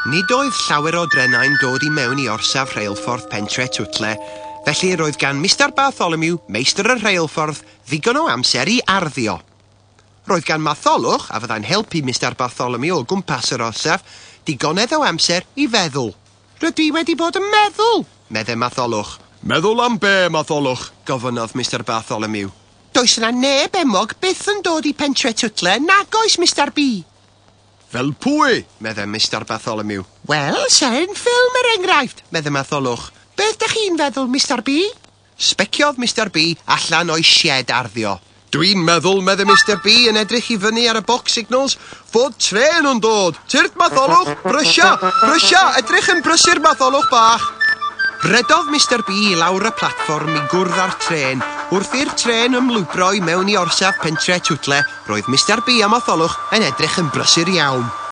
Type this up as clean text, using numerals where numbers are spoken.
Nid oedd llawer o drenau'n dod i mewn i orsaf rheilffordd Pentre Twtle, felly roedd gan Mr Bartholomew, meistr y rheilffordd, ddigon o amser i arddio. Roedd gan Matholwch, a fyddai'n helpu Mr Bartholomew o gwmpas yr orsaf, digonedd o amser i feddwl. "Rydw i wedi bod yn meddwl," meddai Matholwch. "Meddwl am be, Matholwch?" gofynnodd Mr Bartholomew. "Does yna neb enwog byth yn dod i Pentre Twtle, nag oes, Mr B?" "Fel pwy?" meddai Mr Bartholomew. "Wel, seren ffilm er enghraifft," meddai Matholwch. "Beth dych chi'n feddwl, Mr B?" Sbeciodd Mr B allan o'i sied arddio. "Dwi'n meddwl," meddai Mr B yn edrych i fyny ar y box signals, "fod trên yn dod. Tyrd, Matholwch, brysia, brysia, edrych yn brysur, Matholwch bach." Rhedodd Mr B i lawr y platfform i gwrdd â'r trên. Wrth i'r trên ymlwybro i mewn i orsaf Pentre Twtle, roedd Mr B a Matholwch yn edrych yn brysur iawn.